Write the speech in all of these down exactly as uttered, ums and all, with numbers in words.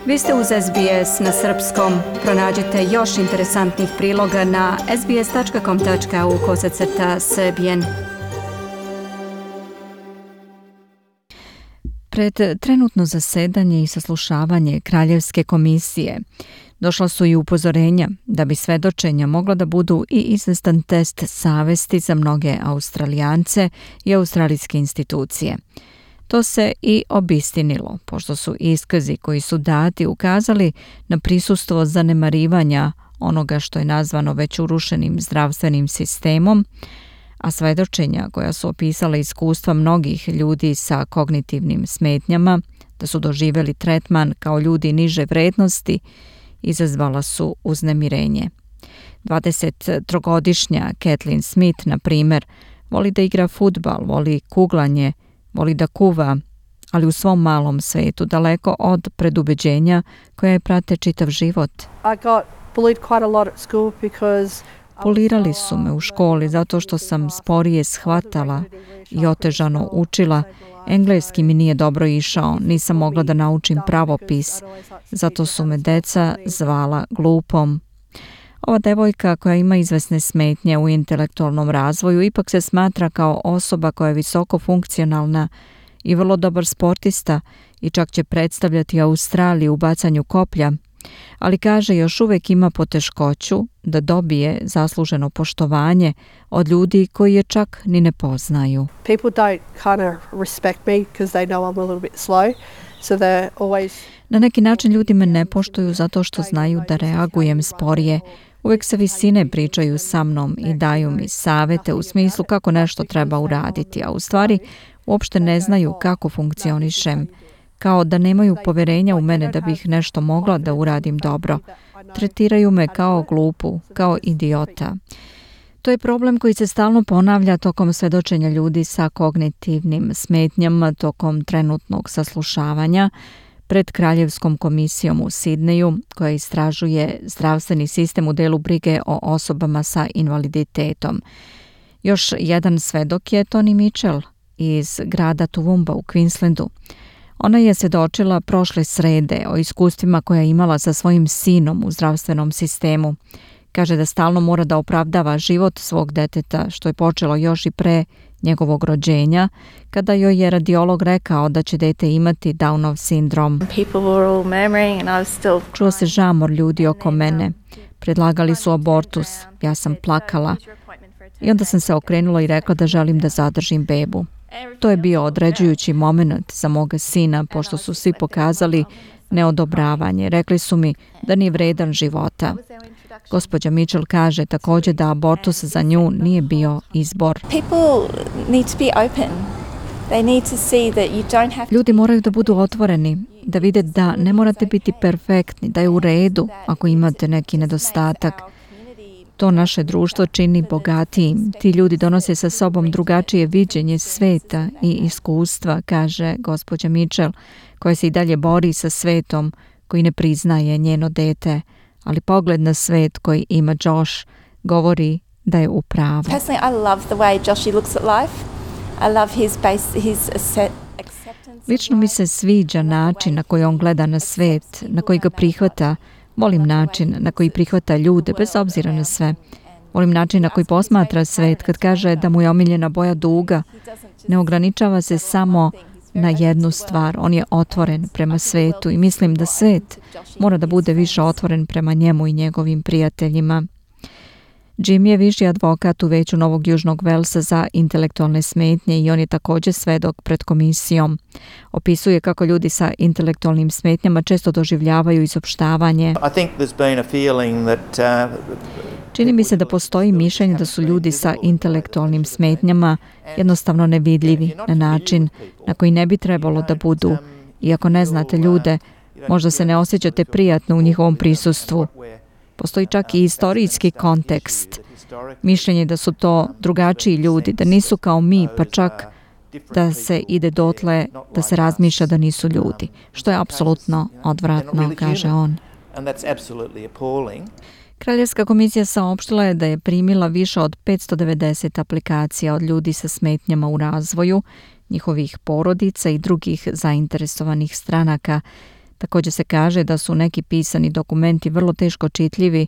Vi ste uz S B S na srpskom. Pronađite još interesantnih priloga na sbs.com.au kosacrta srbijen. Pred trenutno zasedanje i saslušavanje Kraljevske komisije došla su i upozorenja da bi svedočenja mogla da budu i izvestan test savesti za mnoge Australijance i australijske institucije. To se i obistinilo, pošto su iskazi koji su dati ukazali na prisustvo zanemarivanja onoga što je nazvano već urušenim zdravstvenim sistemom, a svedočenja koja su opisala iskustva mnogih ljudi sa kognitivnim smetnjama, da su doživjeli tretman kao ljudi niže vrednosti, izazvala su uznemirenje. dvadesettrogodišnja Kathleen Smith, na primjer, voli da igra fudbal, voli kuglanje, voli da kuva, ali u svom malom svetu, daleko od predubeđenja koje prate čitav život. Polirali su me u školi zato što sam sporije shvatala i otežano učila. Engleski mi nije dobro išao, nisam mogla da naučim pravopis, zato su me deca zvala glupom. Ova devojka koja ima izvesne smetnje u intelektualnom razvoju ipak se smatra kao osoba koja je visoko funkcionalna i vrlo dobar sportista i čak će predstavljati Australiju u bacanju koplja, ali kaže još uvijek ima poteškoću da dobije zasluženo poštovanje od ljudi koji je čak ni ne poznaju. People don't kind of respect me because they know I'm a little bit slow. So they're always... Na neki način ljudi me ne poštuju zato što znaju da reagujem sporije. Uvijek sa visine pričaju sa mnom i daju mi savete u smislu kako nešto treba uraditi, a u stvari uopšte ne znaju kako funkcionišem, kao da nemaju poverenja u mene da bih nešto mogla da uradim dobro. Tretiraju me kao glupu, kao idiota. To je problem koji se stalno ponavlja tokom svedočenja ljudi sa kognitivnim smetnjama tokom trenutnog saslušavanja pred Kraljevskom komisijom u Sidneju, koja istražuje zdravstveni sistem u delu brige o osobama sa invaliditetom. Još jedan svedok je Toni Mitchell iz grada Toowoomba u Queenslandu. Ona je svjedočila prošle srede o iskustvima koja je imala sa svojim sinom u zdravstvenom sistemu. Kaže da stalno mora da opravdava život svog deteta, što je počelo još i pre njegovog rođenja, kada joj je radiolog rekao da će dete imati Downov sindrom. Čuo se žamor ljudi oko mene. Predlagali su abortus. Ja sam plakala. I onda sam se okrenula i rekla da želim da zadržim bebu. To je bio određujući moment za moga sina, pošto su svi pokazali neodobravanje. Rekli su mi da nije vredan života. Gospođa Mitchell kaže također da abortus za nju nije bio izbor. Ljudi moraju da budu otvoreni, da vide da ne morate biti perfektni, da je u redu ako imate neki nedostatak. To naše društvo čini bogatijim. Ti ljudi donose sa sobom drugačije viđenje sveta i iskustva, kaže gospođa Mitchell, koja se i dalje bori sa svetom koji ne priznaje njeno dete, ali pogled na svet koji ima Josh govori da je u pravu. Lično mi se sviđa način na koji on gleda na svet, na koji ga prihvata. Volim način na koji prihvata ljude bez obzira na sve. Volim način na koji posmatra svet kad kaže da mu je omiljena boja duga. Ne ograničava se samo na jednu stvar. On je otvoren prema svetu i mislim da svet mora da bude više otvoren prema njemu i njegovim prijateljima. Jim je viši advokat u Veću Novog Južnog Velsa za intelektualne smetnje i on je također svedok pred komisijom. Opisuje kako ljudi sa intelektualnim smetnjama često doživljavaju izopštavanje. Čini mi se da postoji mišljenje da su ljudi sa intelektualnim smetnjama jednostavno nevidljivi na način na koji ne bi trebalo da budu. Iako ne znate ljude, možda se ne osjećate prijatno u njihovom prisustvu. Postoji čak i istorijski kontekst. Mišljenje da su to drugačiji ljudi, da nisu kao mi, pa čak da se ide dotle da se razmišlja da nisu ljudi, što je apsolutno odvratno, kaže on. Kraljevska komisija saopštila je da je primila više od petsto devedeset aplikacija od ljudi sa smetnjama u razvoju, njihovih porodica i drugih zainteresovanih stranaka, Također se kaže da su neki pisani dokumenti vrlo teško čitljivi,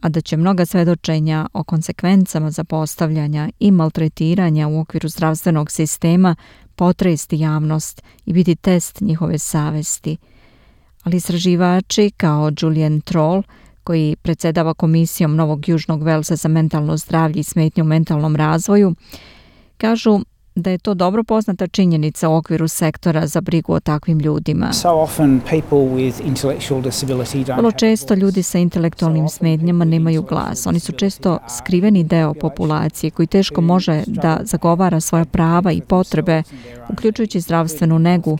a da će mnoga svedočenja o konsekvencama zapostavljanja i maltretiranja u okviru zdravstvenog sistema potresti javnost i biti test njihove savesti. Ali istraživači kao Julian Troll, koji predsjedava Komisijom Novog Južnog Velsa za mentalno zdravlje i smetnje u mentalnom razvoju, kažu da je to dobro poznata činjenica u okviru sektora za brigu o takvim ljudima. Vrlo često ljudi sa intelektualnim smetnjama nemaju glas. Oni su često skriveni deo populacije koji teško može da zagovara svoja prava i potrebe, uključujući zdravstvenu negu,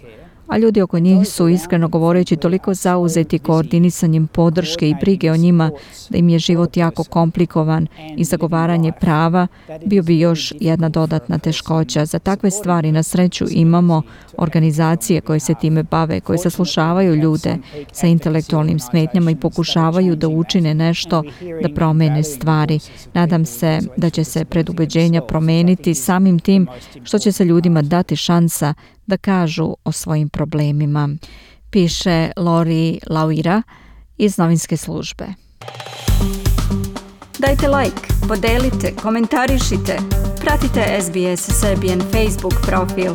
a ljudi oko njih su, iskreno govoreći, toliko zauzeti koordinisanjem podrške i brige o njima da im je život jako komplikovan i zagovaranje prava bio bi još jedna dodatna teškoća. Za takve stvari na sreću imamo organizacije koje se time bave, koje saslušavaju ljude sa intelektualnim smetnjama i pokušavaju da učine nešto da promene stvari. Nadam se da će se predubeđenja promeniti samim tim što će se ljudima dati šansa da kažu o svojim problemima, piše Lori Lauira iz novinske službe. Dajte like, podelite, komentarišite, pratite S B S Serbian Facebook profil.